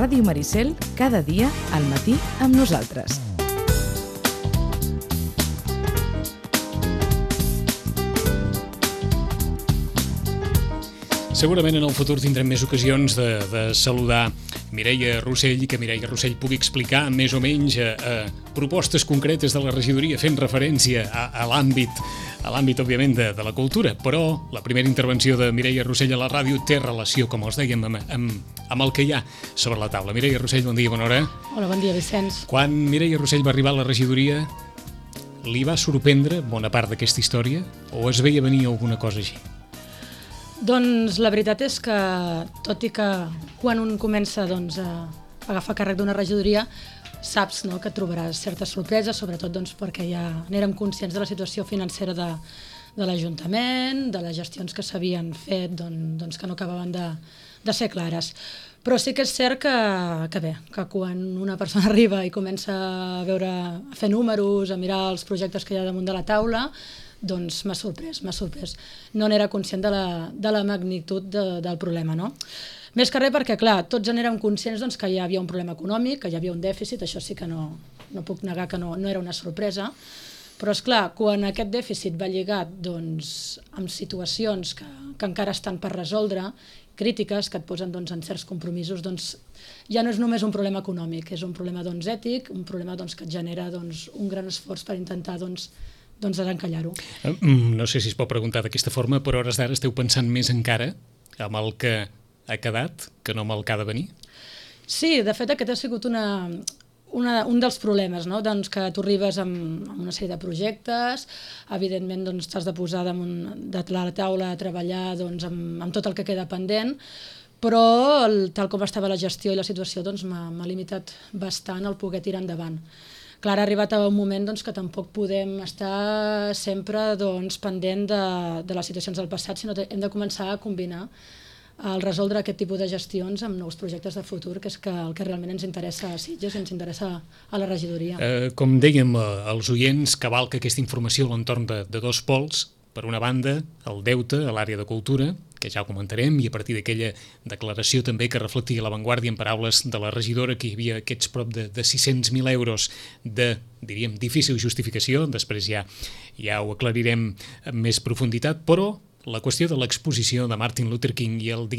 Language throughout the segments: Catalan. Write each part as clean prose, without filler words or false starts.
Ràdio Maricel, cada dia al matí amb nosaltres. Segurament en el futur tindrem més ocasions de saludar Mireia Rossell i que Mireia Rossell pugui explicar més o menys propostes concretes de la regidoria fent referència a l'àmbit, òbviament, de la cultura. Però la primera intervenció de Mireia Rossell a la ràdio té relació, com els dèiem, amb el que hi ha sobre la taula. Mireia Rossell, bon dia, bona hora. Hola, bon dia, Vicenç. Quan Mireia Rossell va arribar a la regidoria, li va sorprendre bona part d'aquesta història o es veia venir alguna cosa així? Doncs la veritat és que, tot i que quan un comença a agafar càrrec d'una regidoria, saps que trobaràs certes sorpreses, sobretot perquè ja n'érem conscients de la situació financera de l'Ajuntament, de les gestions que s'havien fet que no acabaven de ser clares. Però sí que és cert que quan una persona arriba i comença a fer números, a mirar els projectes que hi ha damunt de la taula, doncs m'ha sorprès. No n'era conscient de la magnitud del problema, no? Més que res perquè, clar, tots en érem conscients que hi havia un problema econòmic, que hi havia un dèficit, això sí que no puc negar que no era una sorpresa, però, esclar, quan aquest dèficit va lligat amb situacions que encara estan per resoldre, crítiques que et posen en certs compromisos, ja no és només un problema econòmic, és un problema ètic, un problema que et genera un gran esforç per intentar desencallar-ho. No sé si es pot preguntar d'aquesta forma, però a hores d'ara esteu pensant més encara amb el que ha quedat que no amb el que ha de venir? Sí, de fet aquest ha sigut un dels problemes, que tu arribes amb una sèrie de projectes, evidentment t'has de posar de la taula a treballar amb tot el que queda pendent, però tal com estava la gestió i la situació m'ha limitat bastant el poder tirar endavant. Clar, ha arribat a un moment que tampoc podem estar sempre pendent de les situacions del passat, sinó que hem de començar a combinar el resoldre aquest tipus de gestions amb nous projectes de futur, que és el que realment ens interessa a Sitges i ens interessa a la regidoria. Com dèiem als oients, cavalca aquesta informació a l'entorn de dos pols. Per una banda, el deute a l'àrea de cultura, que ja ho comentarem, i a partir d'aquella declaració també que reflectia La Vanguardia en paraules de la regidora que hi havia aquests prop de 600.000 euros de, diríem, difícil justificació, després ja ho aclarirem amb més profunditat, però la qüestió de l'exposició de Martin Luther King i el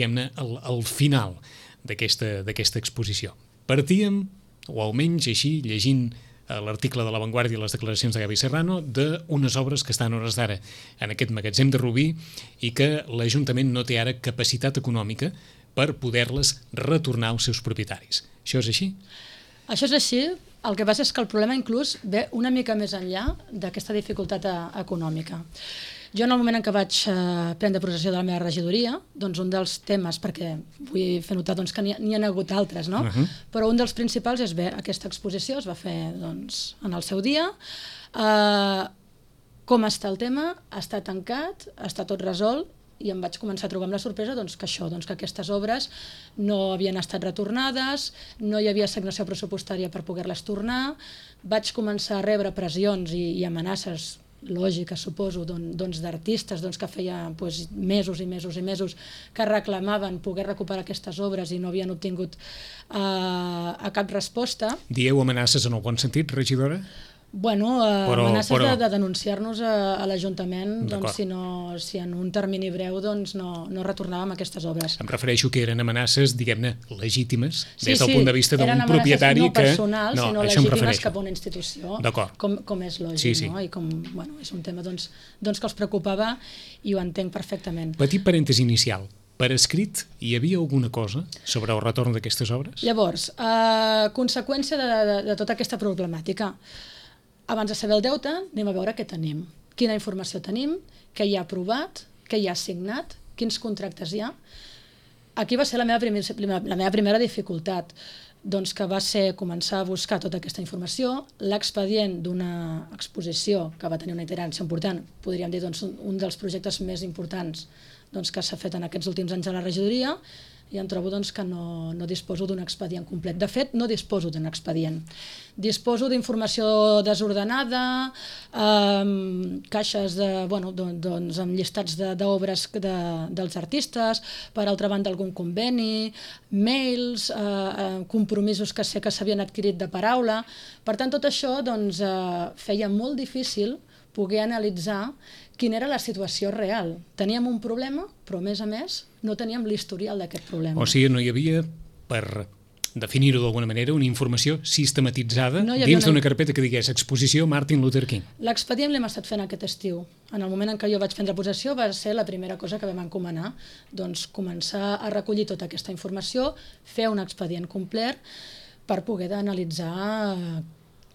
final d'aquesta exposició. Partíem, o almenys així, llegint l'article de La Vanguardia i les declaracions de Gavi Serrano, d'unes obres que estan a hores d'ara en aquest magatzem de Rubí i que l'Ajuntament no té ara capacitat econòmica per poder-les retornar als seus propietaris. Això és així? Això és així. El que passa és que el problema inclús ve una mica més enllà d'aquesta dificultat econòmica. Jo en el moment en què vaig prendre possessió de la meva regidoria, un dels temes, perquè vull fer notar que n'hi ha hagut altres, no? Però un dels principals és aquesta exposició, es va fer en el seu dia. Com està el tema? Està tancat, està tot resolt, i em vaig començar a trobar amb la sorpresa que aquestes obres no havien estat retornades, no hi havia assignació pressupostària per poder-les tornar, vaig començar a rebre pressions i amenaces lògiques, suposo, d'artistes que feia mesos i mesos i mesos que reclamaven poder recuperar aquestes obres i no havien obtingut cap resposta. Dieu amenaces en el bon sentit, regidora? Amenaces de denunciar-nos a l'Ajuntament si en un termini breu no retornàvem aquestes obres. Em refereixo que eren amenaces, diguem-ne, legítimes, des del punt de vista d'un propietari que... No personals, sinó legítimes cap a una institució, com és lògic, no? I com és un tema que els preocupava i ho entenc perfectament. Petit parèntesi inicial. Per escrit, hi havia alguna cosa sobre el retorn d'aquestes obres? Llavors, conseqüència de tota aquesta problemàtica, abans de saber el deute, anem a veure què tenim, quina informació tenim, què hi ha aprovat, què hi ha assignat, quins contractes hi ha. Aquí va ser la meva primera dificultat, que va ser començar a buscar tota aquesta informació, l'expedient d'una exposició que va tenir una itinerància important, podríem dir un dels projectes més importants que s'ha fet en aquests últims anys a la regidoria, i em trobo doncs, que no disposo d'un expedient complet. De fet, no disposo d'un expedient. Disposo d'informació desordenada, caixes amb llistats d'obres dels artistes, per altra banda algun conveni, mails, compromisos que sé que s'havien adquirit de paraula. Per tant, tot això feia molt difícil poder analitzar quina era la situació real. Teníem un problema, però a més no teníem l'historial d'aquest problema. O sigui, no hi havia, per definir-ho d'alguna manera, una informació sistematitzada dins d'una carpeta que digués exposició Martin Luther King. L'expedient l'hem estat fent aquest estiu. En el moment en què jo vaig prendre possessió va ser la primera cosa que vam encomanar, doncs començar a recollir tota aquesta informació, fer un expedient complet per poder analitzar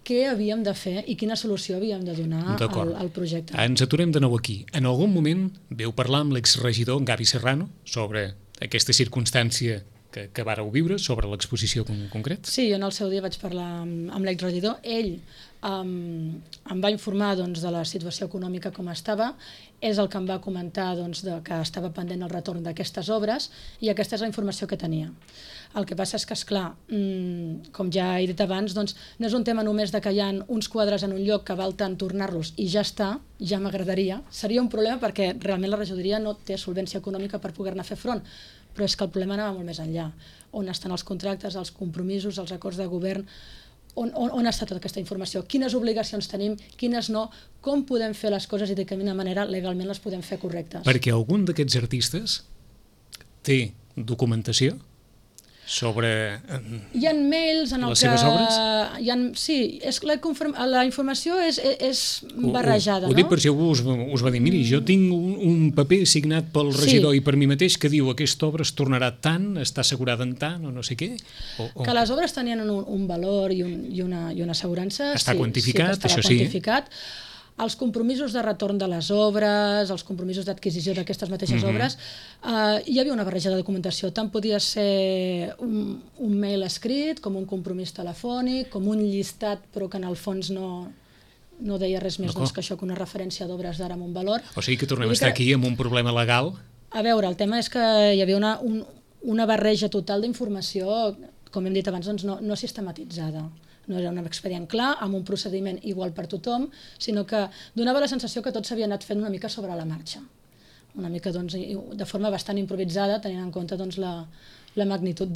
què havíem de fer i quina solució havíem de donar al projecte. Ens aturem de nou aquí. En algun moment veu parlar amb l'exregidor Gavi Serrano sobre aquesta circumstància que vàreu viure, sobre l'exposició concret? Sí, jo en el seu dia vaig parlar amb l'exregidor. Ell em va informar de la situació econòmica com estava, és el que em va comentar que estava pendent el retorn d'aquestes obres i aquesta és la informació que tenia. El que passa és que, esclar, com ja he dit abans, no és un tema només de que hi ha uns quadres en un lloc que val tant tornar-los i ja està, ja m'agradaria. Seria un problema perquè realment la regidoria no té solvència econòmica per poder-ne fer front, però és que el problema anava molt més enllà. On estan els contractes, els compromisos, els acords de govern, on està tota aquesta informació, quines obligacions tenim, quines no, com podem fer les coses i de quina manera legalment les podem fer correctes. Perquè algun d'aquests artistes té documentació sobre hi ha mails en les seves obres? Sí, la informació és barrejada. Ho dic per si algú us va dir, miri, jo tinc un paper signat pel regidor i per mi mateix que diu aquesta obra es tornarà tant, està assegurada en tant o no sé què. Que les obres tenien un valor i una assegurança. Està quantificat, això sí. Els compromisos de retorn de les obres, els compromisos d'adquisició d'aquestes mateixes obres, hi havia una barreja de documentació. Tant podia ser un mail escrit, com un compromís telefònic, com un llistat, però que en el fons no deia res més que això, que una referència d'obres d'ara amb un valor. O sigui que tornem a estar aquí amb un problema legal. A veure, el tema és que hi havia una barreja total d'informació, com hem dit abans, no sistematitzada. No era un expedient clar, amb un procediment igual per tothom, sinó que donava la sensació que tot s'havia anat fent una mica sobre la marxa. Una mica de forma bastant improvisada, tenint en compte la magnitud,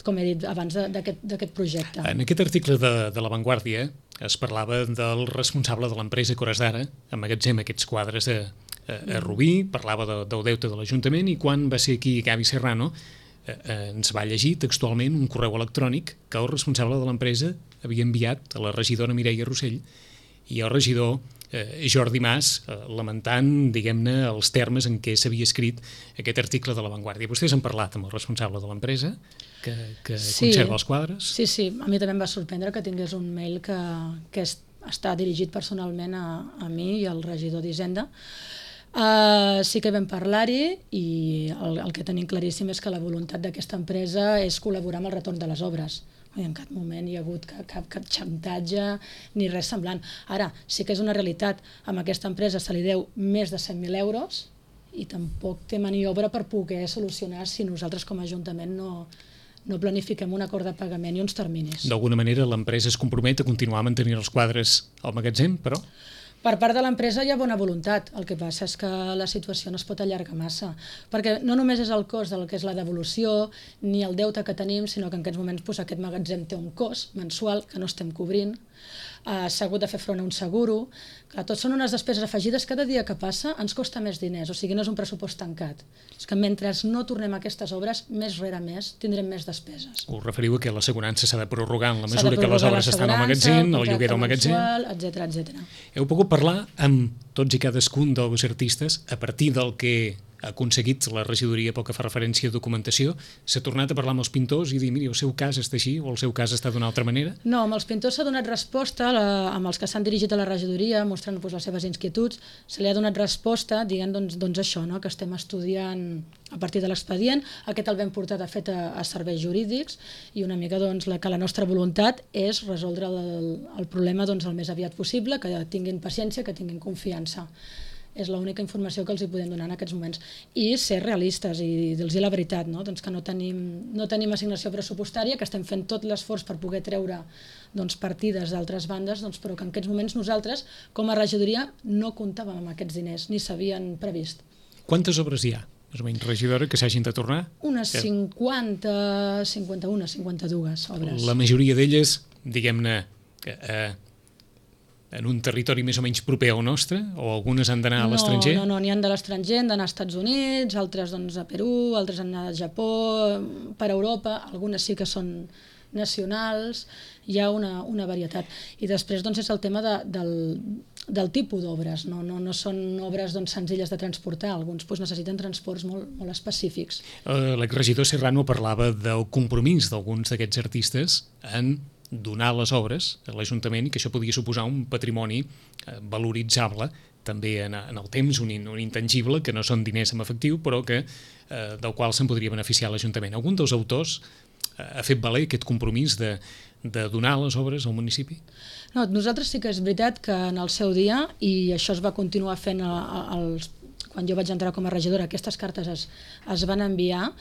com he dit abans, d'aquest projecte. En aquest article de La Vanguardia es parlava del responsable de l'empresa que hores d'ara emmagatzema aquests quadres a Rubí, parlava del deute de l'Ajuntament i quan va ser aquí Gavi Serrano ens va llegir textualment un correu electrònic que el responsable de l'empresa havia enviat a la regidora Mireia Rossell i el regidor Jordi Mas lamentant, diguem-ne, els termes en què s'havia escrit aquest article de La Vanguardia. Vostès han parlat amb el responsable de l'empresa que conserva els quadres? Sí, a mi també em va sorprendre que tingués un mail que està dirigit personalment a mi i al regidor d'Hisenda. Sí que vam parlar-hi i el que tenim claríssim és que la voluntat d'aquesta empresa és col·laborar amb el retorn de les obres. En cap moment hi ha hagut cap xantatge ni res semblant. Ara, sí que és una realitat, amb aquesta empresa se li deu més de 100.000 euros i tampoc té maniobra per poder solucionar si nosaltres com a Ajuntament no planifiquem un acord de pagament i uns terminis. D'alguna manera l'empresa es compromet a continuar mantenint els quadres al magatzem, però? Per part de l'empresa hi ha bona voluntat, el que passa és que la situació no es pot allargar massa, perquè no només és el cost del que és la devolució ni el deute que tenim, sinó que en aquests moments aquest magatzem té un cost mensual que no estem cobrint, s'ha hagut de fer front a un seguro, que tot són unes despeses afegides, cada dia que passa ens costa més diners, o sigui no és un pressupost tancat. És que mentre no tornem a aquestes obres, més rere més, tindrem més despeses. Us referiu a que l'assegurança s'ha de prorrogar en la mesura que les obres estan al magatzem, el lloguer del magatzem, etcètera. Heu pogut parlar amb tots i cadascun dels artistes a partir del que ha aconseguit la regidoria pel que fa referència a documentació? S'ha tornat a parlar amb els pintors i dir, miri, el seu cas està així o el seu cas està d'una altra manera? No, amb els pintors s'ha donat resposta, amb els que s'han dirigit a la regidoria, mostrant les seves inquietuds, se li ha donat resposta dient doncs això, que estem estudiant a partir de l'expedient. Aquest el vam portar, de fet, a serveis jurídics i una mica que la nostra voluntat és resoldre el problema el més aviat possible, que tinguin paciència, que tinguin confiança. És l'única informació que els hi podem donar en aquests moments. I ser realistes i dir-los la veritat, no? Doncs que no tenim assignació pressupostària, que estem fent tot l'esforç per poder treure partides d'altres bandes, però que en aquests moments nosaltres, com a regidoria, no comptàvem amb aquests diners, ni s'havien previst. Quantes obres hi ha, més o menys, regidora, que s'hagin de tornar? Unes 50, 51, 52 obres. La majoria d'elles, diguem-ne, en un territori més o menys proper al nostre, o algunes han d'anar a l'estranger? No, n'hi han de l'estranger, han d'anar als Estats Units, altres a Perú, altres han d'anar al Japó, per Europa, algunes sí que són nacionals, hi ha una varietat. I després és el tema del tipus d'obres, no són obres senzilles de transportar, alguns necessiten transports molt específics. L'exregidor Serrano parlava del compromís d'alguns d'aquests artistes en donar les obres a l'Ajuntament i que això podia suposar un patrimoni valoritzable també en el temps, un intangible, que no són diners en efectiu, però del qual se'n podria beneficiar l'Ajuntament. Algun dels autors ha fet valer aquest compromís de donar les obres al municipi? No, nosaltres sí que és veritat que en el seu dia, i això es va continuar fent quan jo vaig entrar com a regidora, aquestes cartes es van enviar,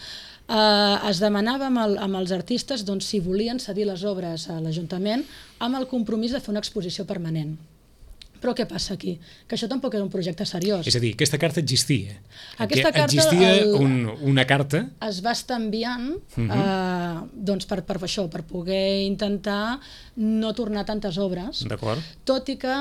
es demanava amb els artistes si volien cedir les obres a l'Ajuntament amb el compromís de fer una exposició permanent. Però què passa aquí? Que això tampoc era un projecte seriós. És a dir, aquesta carta existia. Existia una carta. Es va estar enviant per això, per poder intentar no tornar tantes obres. D'acord. Tot i que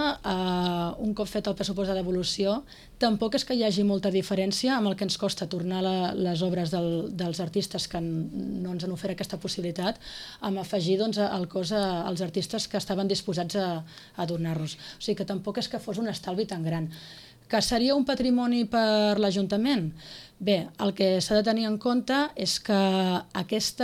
un cop fet el pressupost de devolució tampoc és que hi hagi molta diferència amb el que ens costa tornar les obres dels artistes que no ens han ofert aquesta possibilitat, amb afegir el cost als artistes que estaven disposats a donar-los. O sigui que tampoc és que fos un estalvi tan gran. Que seria un patrimoni per l'Ajuntament? Bé, el que s'ha de tenir en compte és que aquest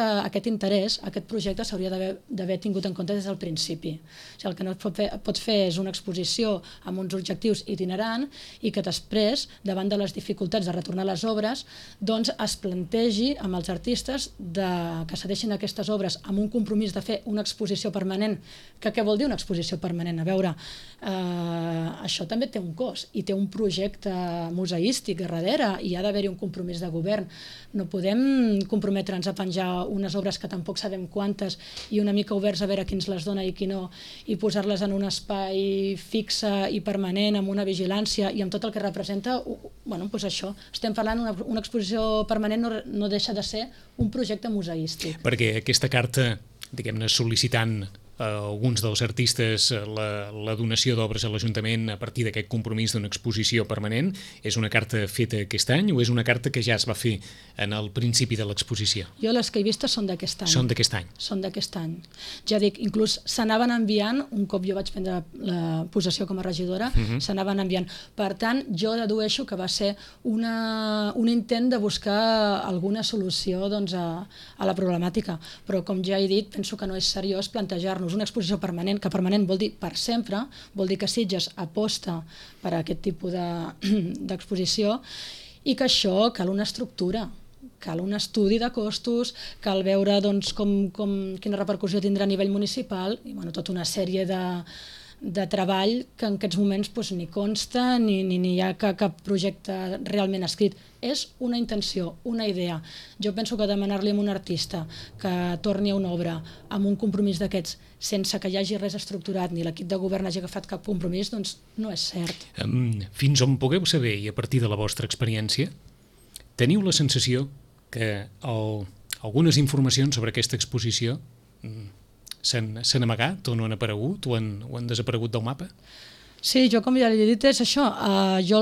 interès, aquest projecte s'hauria d'haver tingut en compte des del principi. O sigui, el que no pots fer és una exposició amb uns objectius itinerant i que després, davant de les dificultats de retornar les obres, es plantegi amb els artistes que cedeixin aquestes obres amb un compromís de fer una exposició permanent. Què vol dir una exposició permanent? A veure, això també té un cost i té un projecte museístic a darrere i ha d'haver-hi un compromís de govern. No podem comprometre'ns a penjar unes obres que tampoc sabem quantes i una mica oberts a veure qui ens les dona i qui no, i posar-les en un espai fixe i permanent, amb una vigilància i amb tot el que representa. Doncs això, estem parlant una exposició permanent no deixa de ser un projecte museístic. Perquè aquesta carta, diguem-ne, sol·licitant alguns dels artistes la donació d'obres a l'Ajuntament a partir d'aquest compromís d'una exposició permanent, és una carta feta aquest any o és una carta que ja es va fer en el principi de l'exposició? Jo les que he vistes són d'aquest any. Són d'aquest any? Són d'aquest any. Ja dic, inclús s'anaven enviant, un cop jo vaig prendre la possessió com a regidora, s'anaven enviant. Per tant, jo dedueixo que va ser un intent de buscar alguna solució a la problemàtica. Però, com ja he dit, penso que no és seriós plantejar-nos una exposició permanent, que permanent vol dir per sempre, vol dir que Sitges aposta per a aquest tipus d'exposició i que això cal una estructura, cal un estudi de costos, cal veure quina repercussió tindrà a nivell municipal i tota una sèrie de treball que en aquests moments ni consta ni hi ha cap projecte realment escrit. És una intenció, una idea. Jo penso que demanar-li a un artista que torni a una obra amb un compromís d'aquests sense que hi hagi res estructurat ni l'equip de govern hagi agafat cap compromís, no és cert. Fins on pugueu saber, i a partir de la vostra experiència, teniu la sensació que algunes informacions sobre aquesta exposició s'han amagat o no han aparegut o han desaparegut del mapa? Sí, jo com ja li he dit és això. Jo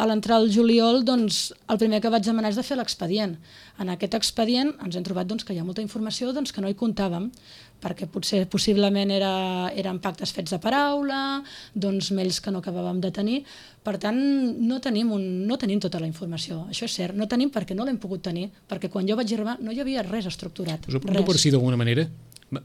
a l'entrar al juliol el primer que vaig demanar és de fer l'expedient. En aquest expedient ens hem trobat que hi ha molta informació que no hi comptàvem, perquè possiblement eren pactes fets de paraula, mails que no acabàvem de tenir. Per tant, no tenim tota la informació. Això és cert, no tenim perquè no l'hem pogut tenir, perquè quan jo vaig arribar no hi havia res estructurat. Us ho pregunto per si d'alguna manera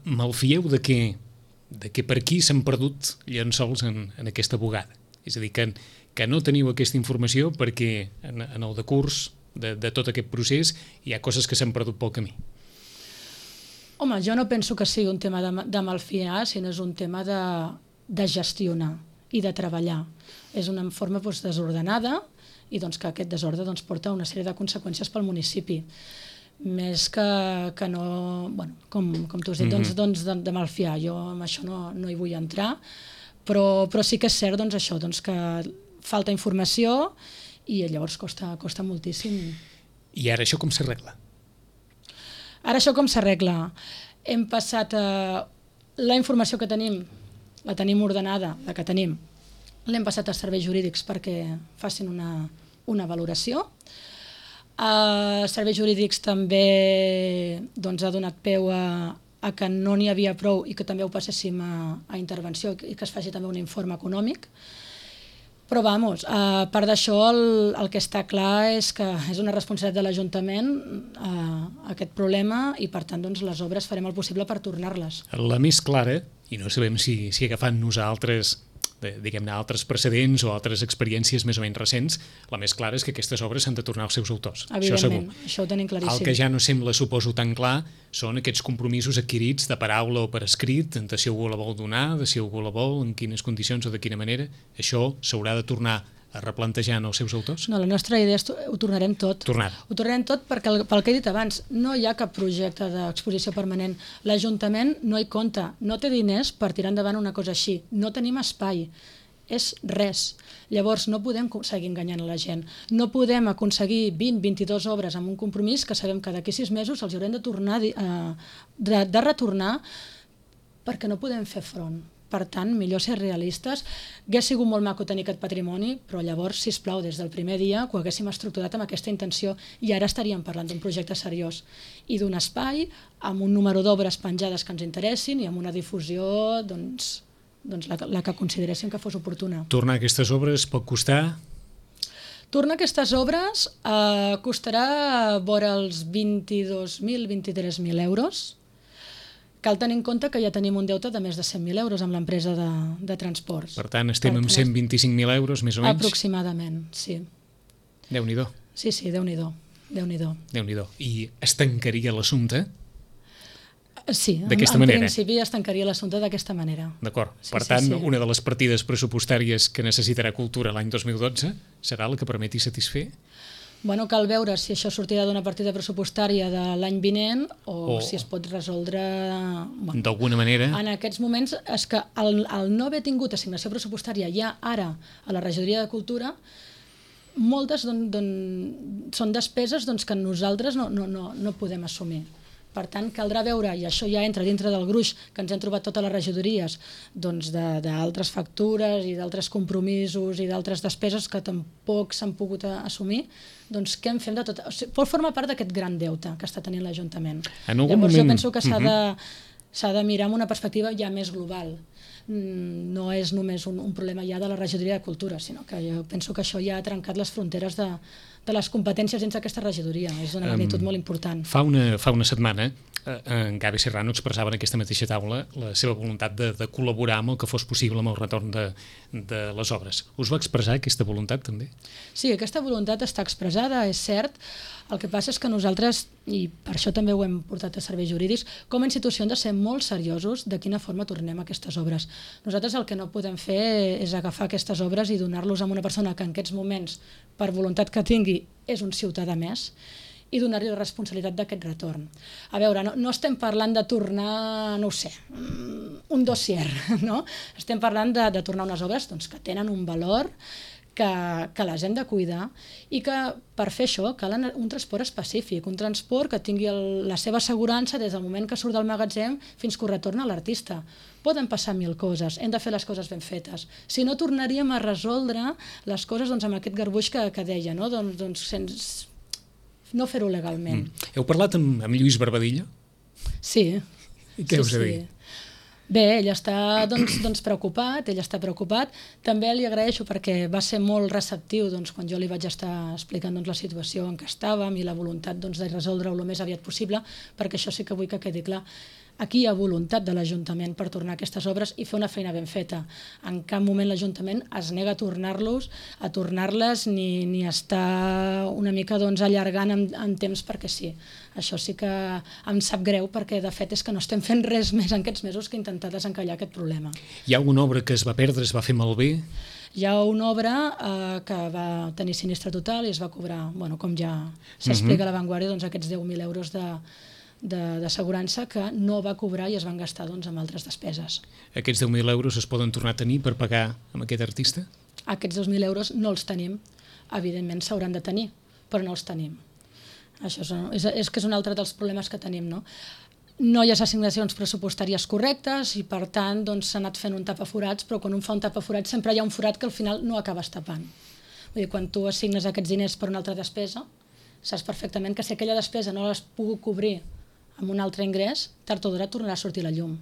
malfieu de que per aquí s'han perdut llençols en aquesta bugada. És a dir, que no teniu aquesta informació perquè en el decurs de tot aquest procés hi ha coses que s'han perdut pel camí. Home, jo no penso que sigui un tema de malfiar, sinó és un tema de gestionar. i de treballar. És una forma desordenada i que aquest desordre porta una sèrie de conseqüències pel municipi. Més que no, com tu has dit, de malfiar. Jo amb això no hi vull entrar, però sí que és cert això, que falta informació i llavors costa moltíssim. I ara això com s'arregla? Ara això com s'arregla? Hem passat la informació que tenim, la tenim ordenada, la que tenim, l'hem passat als serveis jurídics perquè facin una valoració. Els serveis jurídics també ha donat peu a que no n'hi havia prou i que també ho passéssim a intervenció i que es faci també un informe econòmic. Però, a part d'això, el que està clar és que és una responsabilitat de l'Ajuntament aquest problema i, per tant, les obres farem el possible per tornar-les. La més clara, i no sabem si agafant-nos a altres precedents o altres experiències més o menys recents, la més clara és que aquestes obres s'han de tornar als seus autors. Evidentment, això ho tenim claríssim. El que ja no sembla, suposo, tan clar són aquests compromisos adquirits de paraula o per escrit, de si algú la vol donar, de si algú la vol, en quines condicions o de quina manera. Això s'haurà de tornar a replantejar en els seus autors? No, la nostra idea és ho tornarem tot. Ho tornarem tot perquè, pel que he dit abans, no hi ha cap projecte d'exposició permanent. L'Ajuntament no hi compta, no té diners per tirar endavant una cosa així. No tenim espai. És res. Llavors no podem seguir enganyant a la gent. No podem aconseguir 20-22 obres amb un compromís que sabem que d'aquí 6 mesos els haurem de tornar de retornar perquè no podem fer front. Per tant, millor ser realistes. Hauria sigut molt maco tenir aquest patrimoni, però llavors, sisplau, des del primer dia que ho haguéssim estructurat amb aquesta intenció i ara estaríem parlant d'un projecte seriós i d'un espai amb un número d'obres penjades que ens interessin i amb una difusió la que consideréssim que fos oportuna. Tornar aquestes obres pot costar? Tornar aquestes obres costarà vora els 22.000-23.000 euros. Cal tenir en compte que ja tenim un deute de més de 100.000 euros amb l'empresa de transports. Per tant, estem amb 125.000 euros, més o menys? Aproximadament, sí. Déu-n'hi-do. Sí, Déu-n'hi-do. Déu-n'hi-do. I es tancaria l'assumpte? Sí, en principi es tancaria l'assumpte d'aquesta manera. D'acord. Per tant, una de les partides pressupostàries que necessitarà Cultura l'any 2012 serà la que permeti satisfer? Bueno, cal veure si això sortirà d'una partida pressupostària de l'any vinent o si es pot resoldre... D'alguna manera? En aquests moments és que el no haver tingut assignació pressupostària ja ara a la regidoria de Cultura, moltes són despeses que nosaltres no podem assumir. Per tant, caldrà veure, i això ja entra dintre del gruix que ens hem trobat totes les regidories, d'altres factures i d'altres compromisos i d'altres despeses que tampoc s'han pogut assumir, què en fem de tot? Pot formar part d'aquest gran deute que està tenint l'Ajuntament. Llavors jo penso que s'ha de mirar amb una perspectiva ja més global. No és només un problema ja de la regidoria de Cultura, sinó que jo penso que això ja ha trencat les fronteres de les competències dins d'aquesta regidoria. És d'una magnitud molt important. Fa una setmana en Gavi Serrano expressava en aquesta mateixa taula la seva voluntat de col·laborar amb el que fos possible amb el retorn de les obres. Us va expressar aquesta voluntat també? Sí, aquesta voluntat està expressada, és cert. El que passa és que nosaltres, i per això també ho hem portat a serveis jurídics, com a institució hem de ser molt seriosos de quina forma tornem aquestes obres. Nosaltres el que no podem fer és agafar aquestes obres i donar-los a una persona que en aquests moments, per voluntat que tingui, és un ciutadà més, i donar-li la responsabilitat d'aquest retorn. A veure, no estem parlant de tornar, no ho sé, un dossier, no? Estem parlant de tornar unes obres que tenen un valor, que les hem de cuidar i que per fer això cal un transport específic, un transport que tingui la seva assegurança des del moment que surt del magatzem fins que ho retorna a l'artista. Poden passar 1000 coses, hem de fer les coses ben fetes. Si no, tornaríem a resoldre les coses amb aquest garbuix que deia, no? Sense no fer-ho legalment. Heu parlat amb Lluís Barbadillo? Sí. I què us ha dit? Bé, ell està preocupat, També li agraeixo perquè va ser molt receptiu quan jo li vaig estar explicant la situació en què estàvem i la voluntat de resoldre-ho el més aviat possible, perquè això sí que vull que quedi clar. Aquí hi ha voluntat de l'Ajuntament per tornar aquestes obres i fer una feina ben feta. En cap moment l'Ajuntament es nega a tornar-les ni està una mica allargant en temps perquè sí. Això sí que em sap greu perquè de fet és que no estem fent res més en aquests mesos que intentar desencallar aquest problema. Hi ha alguna obra que es va perdre, es va fer malbé? Hi ha una obra que va tenir sinistre total i es va cobrar, com ja s'explica a La Vanguardia, aquests 10.000 euros d'assegurança que no va cobrar i es van gastar en altres despeses. Aquests 10.000 euros es poden tornar a tenir per pagar amb aquest artista? Aquests 2.000 euros no els tenim. Evidentment s'hauran de tenir, però no els tenim. Això és que és un altre dels problemes que tenim, no? No hi ha assignacions pressupostàries correctes i per tant s'ha anat fent un tapaforats, però quan un fa un tapaforats sempre hi ha un forat que al final no acabes tapant. Vull dir, quan tu assignes aquests diners per una altra despesa, saps perfectament que si aquella despesa no l'has pogut cobrir amb un altre ingrés, tard o d'hora tornarà a sortir la llum.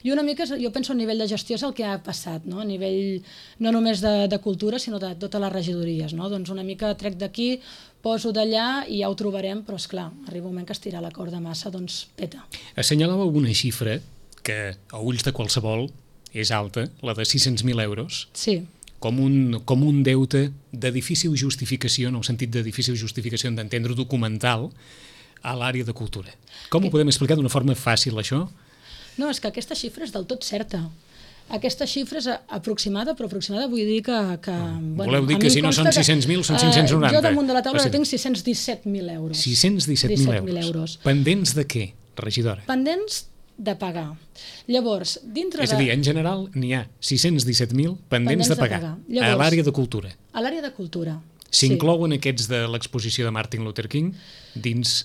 I una mica, jo penso a nivell de gestió és el que ha passat, no? A nivell no només de cultura, sinó de totes les regidories. No? Una mica trec d'aquí, poso d'allà i ja ho trobarem, però esclar, arriba un moment que estirar la corda massa, peta. Assenyalava alguna xifra que, a ulls de qualsevol, és alta, la de 600.000 euros. Sí. Com un deute de difícil justificació, en el sentit de difícil justificació d'entendre documental, a l'àrea de cultura. Com ho podem explicar d'una forma fàcil, això? No, és que aquesta xifra és del tot certa. Aquesta xifra és aproximada, però aproximada vull dir que voleu dir que si no són 600.000 són 590? Jo damunt de la taula tinc 617.000 euros. 617.000 euros. Pendents de què, regidora? Pendents de pagar. Llavors, és a dir, en general n'hi ha 617.000 pendents de pagar. Llavors, a l'àrea de cultura. A l'àrea de cultura. S'inclouen aquests de l'exposició de Martin Luther King dins...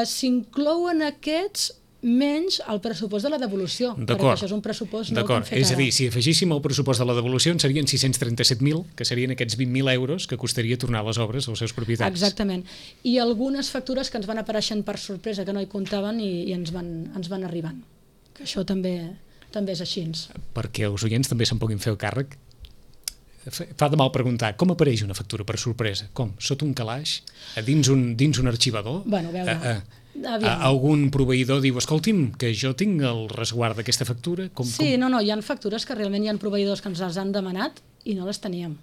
S'inclouen aquests menys el pressupost de la devolució, perquè això és un pressupost nou que hem fet ara. És a dir, si afegíssim el pressupost de la devolució en serien 637.000, que serien aquests 20.000 euros que costaria tornar les obres als seus propietaris. Exactament. I algunes factures que ens van apareixent per sorpresa, que no hi comptaven i ens van arribant. Que això també és així. Perquè els oients també se'n puguin fer el càrrec. Fa de mal preguntar, com apareix una factura per sorpresa? Com? Sota un calaix? Dins un arxivador? Bueno, a veure... Algun proveïdor diu, escolti'm, que jo tinc el resguard d'aquesta factura? Sí, no, hi ha factures que realment hi ha proveïdors que ens les han demanat i no les teníem.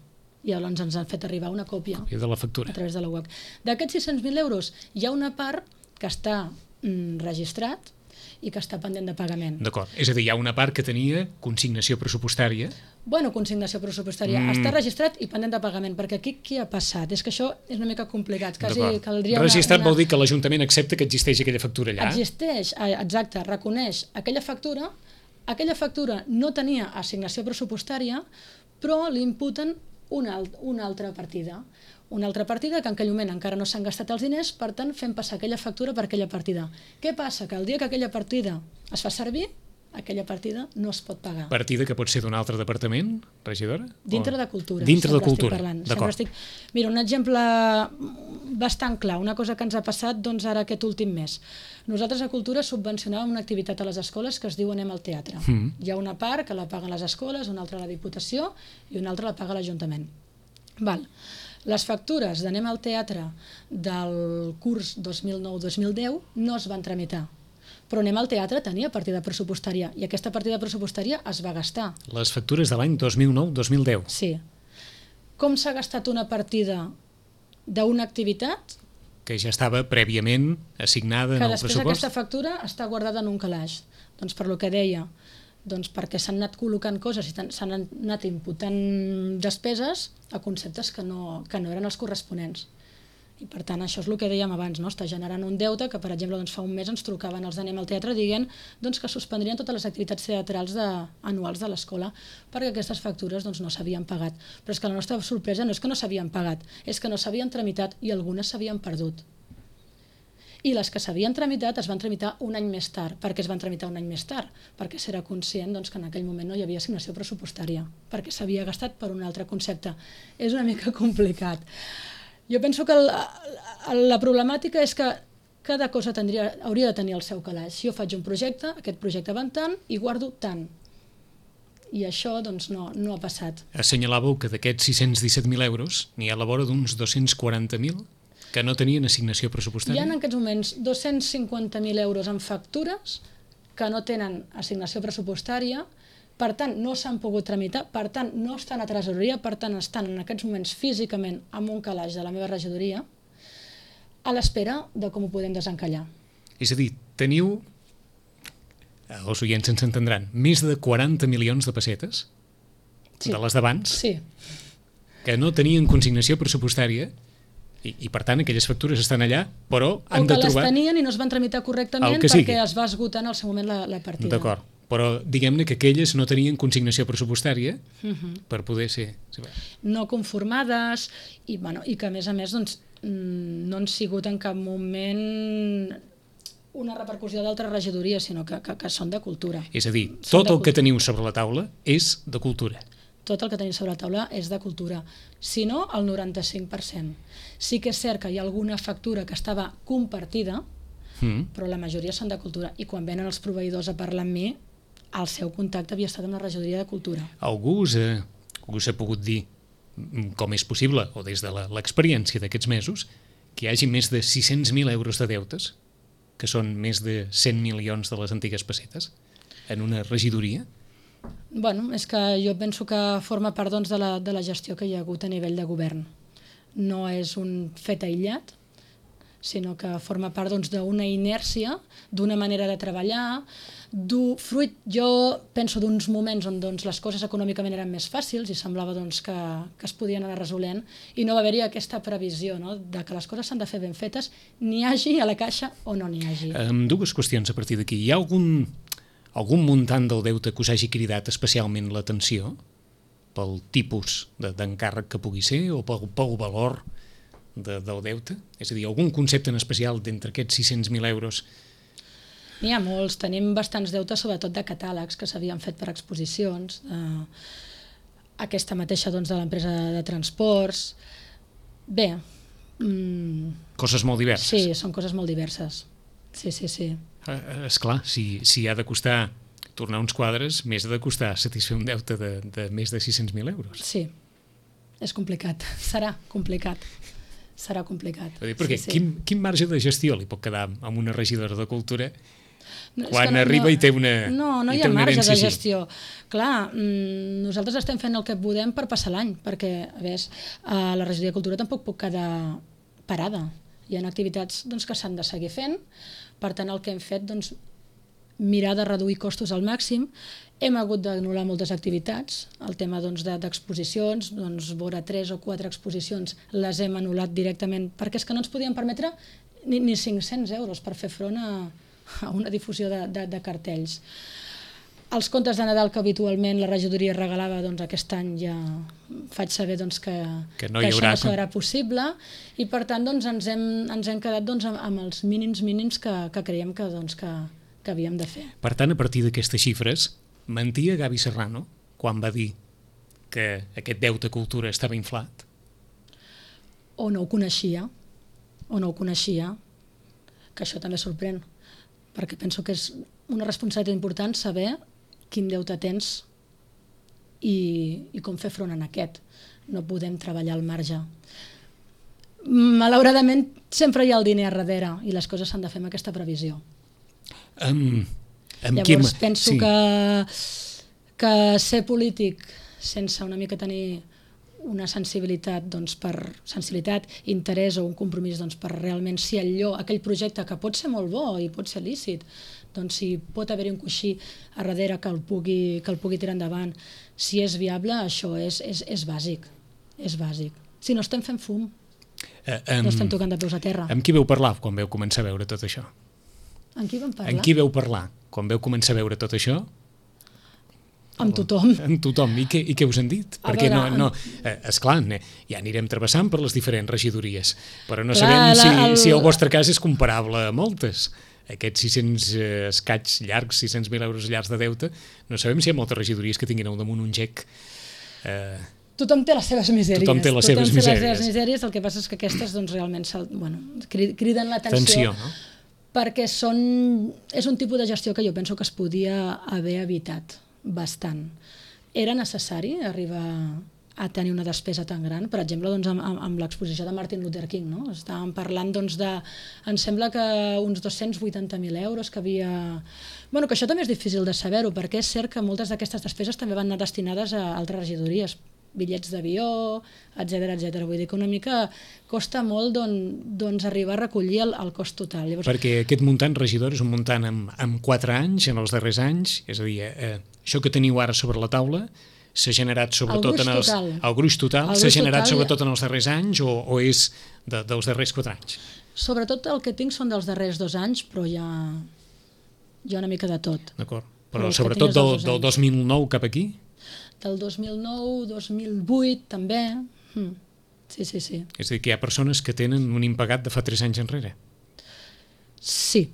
I llavors ens han fet arribar una còpia de la factura a través de la web. D'aquests 600.000 euros hi ha una part que està registrat i que està pendent de pagament. D'acord, és a dir, hi ha una part que tenia consignació pressupostària. Bueno, consignació pressupostària. Està registrat i pendent de pagament, perquè aquí què ha passat? És que això és una mica complicat. Registrat vol dir que l'Ajuntament accepta que existeix aquella factura allà? Existeix, exacte, reconeix aquella factura no tenia assignació pressupostària, però li imputen una altra partida. Una altra partida que en aquell moment encara no s'han gastat els diners, per tant fem passar aquella factura per aquella partida. Què passa? Que el dia que aquella partida es fa servir, aquella partida no es pot pagar. Partida que pot ser d'un altre departament, regidora? Dintre de cultura. Dintre de cultura, d'acord. Mira, un exemple bastant clar, una cosa que ens ha passat ara aquest últim mes. Nosaltres a Cultura subvencionàvem una activitat a les escoles que es diu Anem al teatre. Hi ha una part que la paguen les escoles, una altra la Diputació i una altra la paga l'Ajuntament. Les factures d'Anem al teatre del curs 2009-2010 no es van tramitar. Però Anem al teatre tenia partida pressupostària i aquesta partida pressupostària es va gastar. Les factures de l'any 2009-2010? Sí. Com s'ha gastat una partida d'una activitat? Que ja estava prèviament assignada en el pressupost? Que després aquesta factura està guardada en un calaix. Doncs per lo que deia, perquè s'han anat col·locant coses i s'han anat imputant despeses a conceptes que no eren els corresponents. I per tant, això és el que dèiem abans, està generant un deute que, per exemple, fa un mes ens trucaven els d'Anem al teatre dient que suspendrien totes les activitats teatrals anuals de l'escola perquè aquestes factures no s'havien pagat. Però és que la nostra sorpresa no és que no s'havien pagat, és que no s'havien tramitat i algunes s'havien perdut. I les que s'havien tramitat es van tramitar un any més tard. Per què es van tramitar un any més tard? Perquè s'era conscient que en aquell moment no hi havia assignació pressupostària, perquè s'havia gastat per un altre concepte. És una mica complicat. Jo penso que la problemàtica és que cada cosa hauria de tenir el seu calaix. Si jo faig un projecte, aquest projecte va en tant i guardo tant. I això no ha passat. Assenyalàveu que d'aquests 617.000 euros n'hi ha a la vora d'uns 240.000 que no tenien assignació pressupostària? Hi ha en aquests moments 250.000 euros en factures que no tenen assignació pressupostària, per tant no s'han pogut tramitar, per tant no estan a tresoreria, per tant estan en aquests moments físicament amb un calaix de la meva regidoria a l'espera de com ho podem desencallar. És a dir, teniu, els oients ens entendran, més de 40 milions de pessetes de les d'abans que no tenien consignació pressupostària i per tant aquelles factures estan allà, però han de trobar... O que les tenien i no es van tramitar correctament perquè es va esgotar en el seu moment la partida. D'acord, però diguem-ne que aquelles no tenien consignació pressupostària per poder ser... No conformades i que a més doncs, no han sigut en cap moment una repercussió d'altra regidoria, sinó que són de cultura. És a dir, tot el que teniu sobre la taula és de cultura. Tot el que tenim sobre la taula és de cultura. Si no, el 95%. Sí que és cert que hi ha alguna factura que estava compartida, però la majoria són de cultura. I quan venen els proveïdors a parlar amb mi, el seu contacte havia estat amb la regidoria de cultura. Algú us ha pogut dir com és possible, o des de l'experiència d'aquests mesos, que hi hagi més de 600.000 euros de deutes, que són més de 100 milions de les antigues pessetes, en una regidoria? Bueno, és que jo penso que forma part doncs, de la gestió que hi ha hagut a nivell de govern. No és un fet aïllat, sinó que forma part d'una inèrcia, d'una manera de treballar, fruit, jo penso, d'uns moments on les coses econòmicament eren més fàcils i semblava que es podien anar resolent i no va haver-hi aquesta previsió de que les coses s'han de fer ben fetes, n'hi hagi a la caixa o no n'hi hagi. Dues qüestions a partir d'aquí. Hi ha algun muntant del deute que us hagi cridat especialment l'atenció pel tipus d'encàrrec que pugui ser o pel valor del deute? És a dir, algun concepte en especial d'entre aquests 600.000 euros? N'hi ha molts. Tenim bastants deutes, sobretot de catàlegs que s'havien fet per exposicions, aquesta mateixa de l'empresa de transports. Bé. Coses molt diverses. Sí, són coses molt diverses. Sí. Esclar, si ha de costar tornar uns quadres, més ha de costar satisfer un deute de més de 600.000 euros. Sí, és complicat. Serà complicat. Perquè quin marge de gestió li pot quedar a una regidora de cultura quan arriba i té una herència? No hi ha marge de gestió. Clar, nosaltres estem fent el que podem per passar l'any, perquè la regidoria de cultura tampoc pot quedar parada. Hi ha activitats que s'han de seguir fent, per tant el que hem fet mirar de reduir costos al màxim. Hem hagut d'anul·lar moltes activitats, el tema d'exposicions, vora 3 o 4 exposicions les hem anul·lat directament perquè és que no ens podíem permetre ni 500 euros per fer front a una difusió de cartells. Els contes de Nadal que habitualment la regidoria regalava, aquest any ja faig saber que això no serà possible i per tant ens hem quedat amb els mínims que creiem que havíem de fer. Per tant, a partir d'aquestes xifres, mentia Gavi Serrano quan va dir que aquest deute cultura estava inflat? O no ho coneixia, que això també sorprèn, perquè penso que és una responsabilitat important saber quin deute tens i com fer front a aquest. No podem treballar al marge. Malauradament, sempre hi ha el diner a darrere i les coses s'han de fer amb aquesta previsió. Llavors penso que ser polític sense una mica tenir una sensibilitat, interès o un compromís per realment si aquell projecte que pot ser molt bo i pot ser lícit, si pot haver-hi un coixí a darrere que el pugui tirar endavant, si és viable, això és bàsic. Si no estem fent fum, no estem tocant de peus a terra. Amb qui vau parlar quan vau començar a veure tot això? Amb qui vam parlar? Amb qui vau parlar quan vau començar a veure tot això? Amb tothom. Amb tothom. I què us han dit? Perquè esclar, ja anirem travessant per les diferents regidories, però no sabem si el vostre cas és comparable a moltes. Aquests 600 escaig llargs, 600.000 euros llargs de deute, no sabem si hi ha moltes regidories que tinguin al damunt un gec. Tothom té les seves misèries. Tothom té les seves misèries, el que passa és que aquestes realment criden l'atenció, perquè és un tipus de gestió que jo penso que es podia haver evitat bastant. Era necessari arribar a tenir una despesa tan gran. Per exemple, doncs, amb l'exposició de Martin Luther King, no? Estàvem parlant doncs, em sembla que uns 280.000 euros que havia... Bueno, que això també és difícil de saber-ho, perquè és cert que moltes d'aquestes despeses també van anar destinades a altres regidories, bitllets d'avió, etc. Vull dir que una mica costa molt doncs, arribar a recollir el cost total. Llavors... Perquè aquest muntant, regidor, és un muntant amb 4 anys, en els darrers anys, és a dir, això que teniu ara sobre la taula s'ha generat sobretot el gruix total s'ha generat sobretot en els darrers anys o és dels darrers 4 anys? Sobretot el que tinc són dels darrers 2 anys, però hi ha una mica de tot. D'acord, però sobretot del 2009 cap aquí? Del 2009, 2008 també. Sí. És a dir, que hi ha persones que tenen un impagat de fa 3 anys enrere? Sí.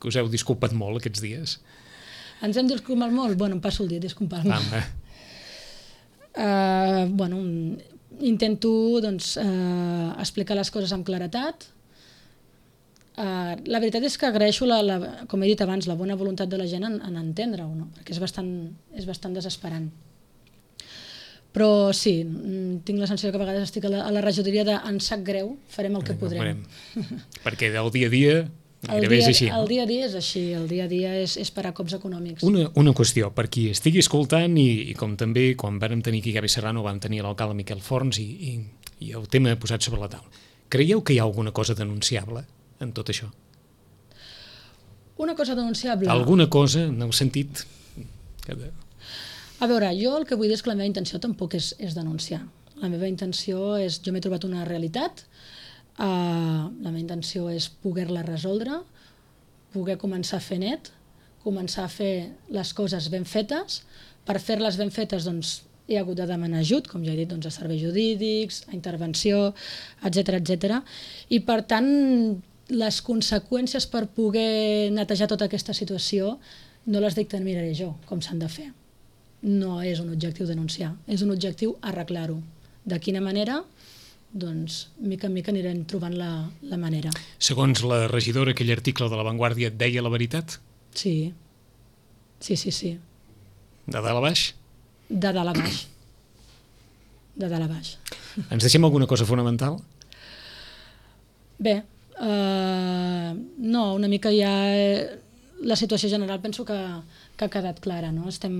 Que us heu disculpat molt aquests dies? Ens hem disculpat molt? Bueno, em passo el dia disculpant-me. Intento doncs, explicar les coses amb claretat. La veritat és que agraeixo, com he dit abans, la bona voluntat de la gent en entendre-ho, no? Perquè és bastant desesperant. Però sí, tinc la sensació que a vegades estic a la regidoria de en sap greu, farem el que podrem. Perquè del dia a dia gairebé és així. El dia a dia és així, el dia a dia és parar cops econòmics. Una qüestió, per qui estigui escoltant i com també quan vam tenir aquí Gavi Serrano vam tenir l'alcalde Miquel Forns i el tema posat sobre la taula. Creieu que hi ha alguna cosa denunciable en tot això? Una cosa denunciable? Alguna cosa en el sentit... A veure, jo el que vull dir és que la meva intenció tampoc és denunciar. La meva intenció és... Jo m'he trobat una realitat, la meva intenció és poder-la resoldre, poder començar a fer net, començar a fer les coses ben fetes. Per fer-les ben fetes doncs, he hagut de demanar ajut, com ja he dit, doncs, a serveis jurídics, a intervenció, etc. I per tant, les conseqüències per poder netejar tota aquesta situació no les dictaminaré jo, com s'han de fer. No és un objectiu denunciar, és un objectiu arreglar-ho. De quina manera? Doncs mica en mica anirem trobant la manera. Segons la regidora, aquell article de La Vanguardia deia la veritat? Sí. De dalt a baix? De dalt a baix. De dalt a baix. Ens deixem alguna cosa fonamental? Bé, no, una mica ja... La situació general penso que ha quedat clara, no? Estem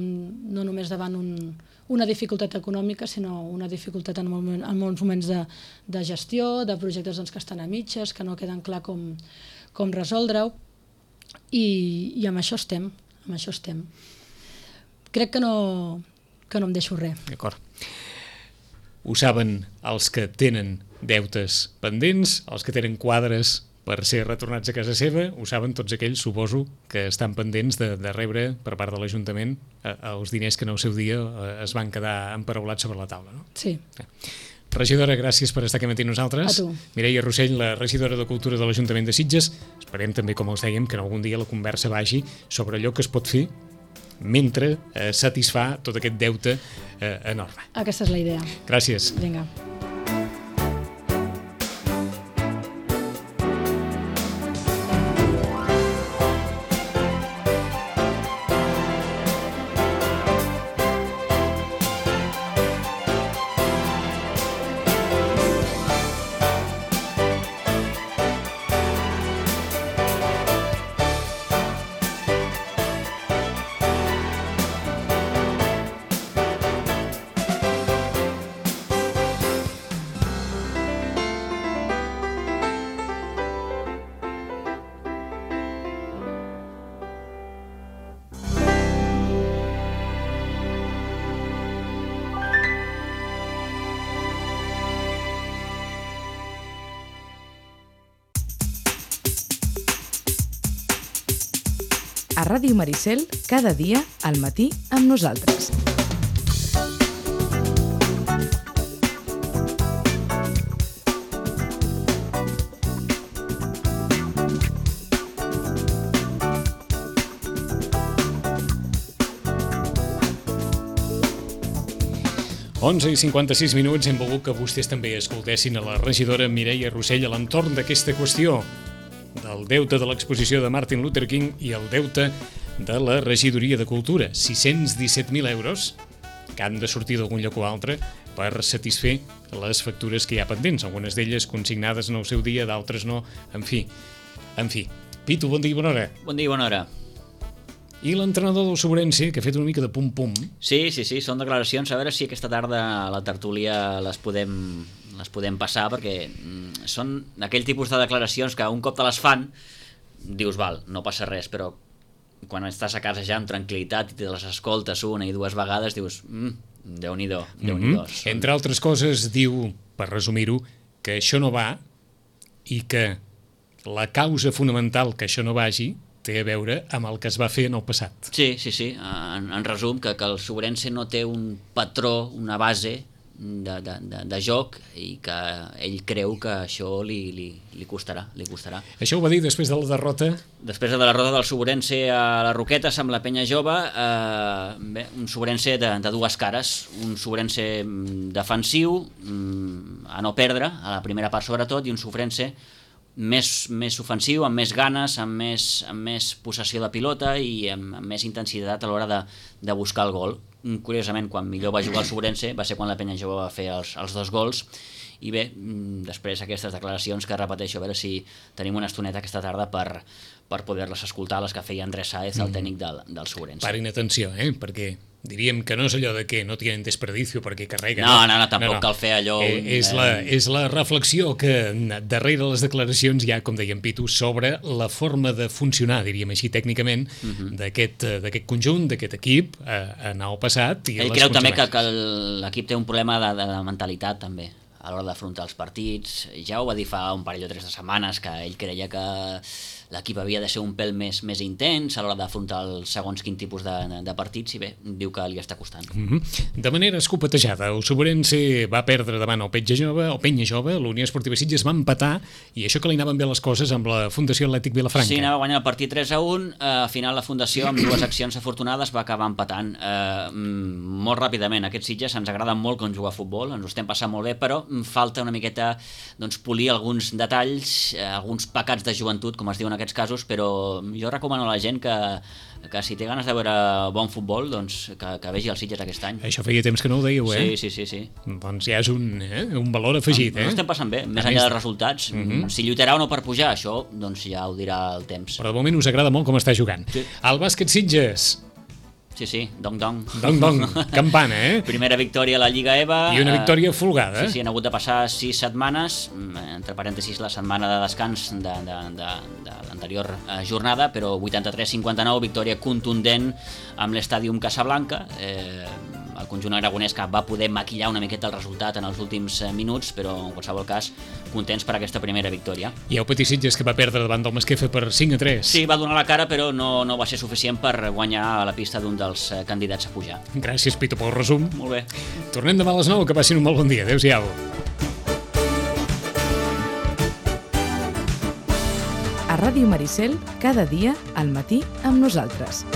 no només davant una dificultat econòmica, sinó una dificultat en molts moments de gestió, de projectes doncs, que estan a mitges, que no queden clar com resoldre-ho, i amb això estem. Crec que no em deixo res. D'acord. Ho saben els que tenen deutes pendents, els que tenen quadres per ser retornats a casa seva, ho saben tots aquells, suposo, que estan pendents de rebre per part de l'Ajuntament els diners que en el seu dia es van quedar emparaulats sobre la taula, no? Sí. Regidora, gràcies per estar aquí amb nosaltres. A tu. Mireia Rossell, la regidora de Cultura de l'Ajuntament de Sitges. Esperem també, com els dèiem, que en algun dia la conversa vagi sobre allò que es pot fer mentre satisfà tot aquest deute enorme. Aquesta és la idea. Gràcies. Vinga. A Ràdio Maricel, cada dia, al matí, amb nosaltres. i 56 minuts, hem volgut que vostès també escoltessin a la regidora Mireia Rossell a l'entorn d'aquesta qüestió del deute de l'exposició de Martin Luther King i el deute de la regidoria de Cultura. 617.000 euros que han de sortir d'algun lloc o altre per satisfer les factures que hi ha pendents, algunes d'elles consignades en el seu dia, d'altres no, en fi. Pitu, bon dia i bona hora. Bon dia i bona hora. I l'entrenador del Sobrense, que ha fet una mica de pum-pum. Sí, són declaracions, a veure si aquesta tarda a la tertúlia les podem passar, perquè són aquell tipus de declaracions que un cop te les fan, dius, val, no passa res, però quan estàs a casa ja amb tranquil·litat i te les escoltes una i dues vegades, dius, Déu-n'hi-do. Entre altres coses, diu, per resumir-ho, que això no va i que la causa fonamental que això no vagi té a veure amb el que es va fer en el passat. Sí. En resum, que el Sobrense no té un patró, una base de joc i que ell creu que això li costarà. Això ho va dir després de la derrota? Després de la derrota del Sobrense a les Roquetes amb la Penya Jove, un Sobrense de dues cares, un Sobrense defensiu, a no perdre, a la primera part sobretot, i un Sobrense més ofensiu, amb més ganes, amb més possessió de pilota i amb més intensitat a l'hora de buscar el gol. Curiosament, quan millor va jugar el Sobrense va ser quan la Penya Jove va fer els 2 gols. I bé, després aquestes declaracions que repeteixo, a veure si tenim una estoneta aquesta tarda per poder-les escoltar, les que feia Andrés Sáez, el tècnic del Sobrense. Parin atenció, perquè diríem que no és allò de que no tienen desperdicio perquè carreguen. No, tampoc cal fer allò... És la reflexió que darrere les declaracions hi ha, com deia en Pitu, sobre la forma de funcionar, diríem així tècnicament, d'aquest conjunt, d'aquest equip en el passat. Ell creu també que l'equip té un problema de mentalitat també a l'hora d'afrontar els partits. Ja ho va dir fa un parell o 3 de setmanes, que ell creia que l'equip havia de ser un pèl més intens a l'hora d'afrontar el segons quin tipus de partits, i bé, diu que li està costant. De manera escopetejada, el Sobrense va perdre davant el Penya Jove, l'Unió Esportiva Sitges va empatar, i això que li anaven bé les coses amb la Fundació Atlètic Vilafranca. Sí, anava guanyant el partit 3-1, al final la Fundació, amb 2 accions afortunades, va acabar empatant molt ràpidament. Aquests Sitges ens agraden molt com jugar a futbol, ens ho estem passant molt bé, però falta una miqueta polir alguns detalls, alguns pecats de joventut, com es diuen aquests casos, però jo recomano a la gent que si té ganes de veure bon futbol, doncs que vegi els Sitges aquest any. Això feia temps que no ho dèieu, Sí. Doncs ja és un valor afegit, No estem passant bé, més enllà dels resultats. Si lluitarà o no per pujar, això doncs ja ho dirà el temps. Però de moment us agrada molt com està jugant. Sí. El bàsquet Sitges. Sí, dong, campana, Primera victòria a la Lliga EVA. I una victòria folgada. Sí, han hagut de passar 6 setmanes, entre parèntesis la setmana de descans de l'anterior jornada, però 83-59, victòria contundent amb l'Estàdium Casablanca. El conjunt aragonès que va poder maquillar una miqueta el resultat en els últims minuts, però en qualsevol cas contents per aquesta primera victòria. I el Petit Sitges, que va perdre davant del Masquefa per 5-3. Sí, va donar la cara, però no va ser suficient per guanyar a la pista d'un dels candidats a pujar. Gràcies, Pitu, pel resum. Molt bé. Tornem demà a les 9, que passin un molt bon dia. Adéu-siau. A Ràdio Maricel, cada dia al matí amb nosaltres.